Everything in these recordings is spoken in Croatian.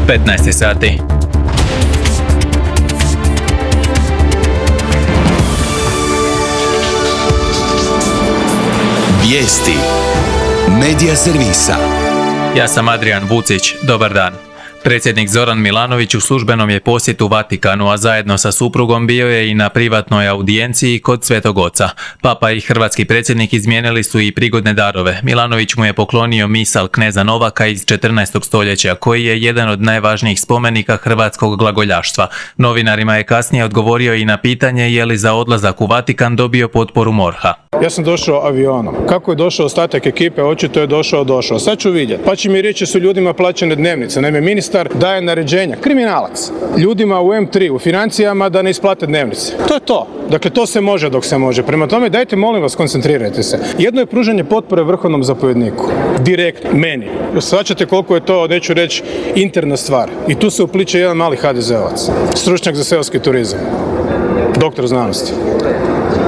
15 sati. Vijesti Medija servisa. Ja sam Adrian Vucić, dobar dan. Predsjednik Zoran Milanović u službenom je posjetu Vatikanu, a zajedno sa suprugom bio je i na privatnoj audijenciji kod Svetog Oca. Papa i hrvatski predsjednik izmijenili su i prigodne darove. Milanović mu je poklonio misal kneza Novaka iz 14. stoljeća, koji je jedan od najvažnijih spomenika hrvatskog glagoljaštva. Novinarima je kasnije odgovorio i na pitanje je li za odlazak u Vatikan dobio potporu MORH-a. Ja sam došao avionom. Kako je došao ostatak ekipe, očito je došao. Sad ću vidjeti. Pa će mi reći su ljudima plaćene dnevnice. Naime, ministar daje naređenja, kriminalac, ljudima u M3, u financijama da ne isplate dnevnice. To je to. Dakle, to se može dok se može. Prema tome, dajte, molim vas, koncentrirajte se. Jedno je pružanje potpore vrhovnom zapovjedniku. Direkt meni. Shvaćate koliko je to, neću reći, interna stvar. I tu se upliče jedan mali HDZ-ovac. Stručnjak za seoski turizam. Doktor znanosti.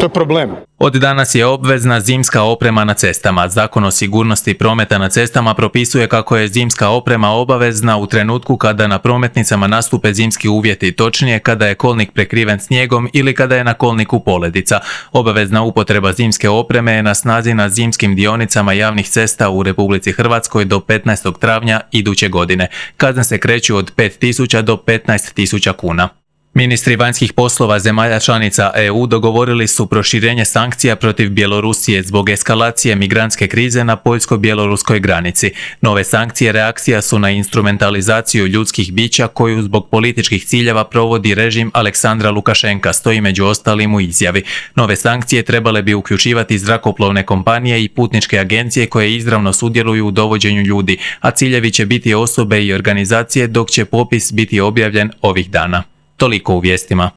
To je problem. Od danas je obvezna zimska oprema na cestama. Zakon o sigurnosti prometa na cestama propisuje kako je zimska oprema obavezna u trenutku kada na prometnicama nastupe zimski uvjeti, točnije kada je kolnik prekriven snijegom ili kada je na kolniku poledica. Obavezna upotreba zimske opreme je na snazi na zimskim dionicama javnih cesta u Republici Hrvatskoj do 15. travnja iduće godine. Kazne se kreću od 5.000 do 15.000 kuna. Ministri vanjskih poslova zemalja članica EU dogovorili su proširenje sankcija protiv Bjelorusije zbog eskalacije migrantske krize na poljsko-bjeloruskoj granici. Nove sankcije reakcija su na instrumentalizaciju ljudskih bića koju zbog političkih ciljeva provodi režim Aleksandra Lukašenka, stoji među ostalim u izjavi. Nove sankcije trebale bi uključivati zrakoplovne kompanije i putničke agencije koje izravno sudjeluju u dovođenju ljudi, a ciljevi će biti osobe i organizacije dok će popis biti objavljen ovih dana. Toliko u vijestima.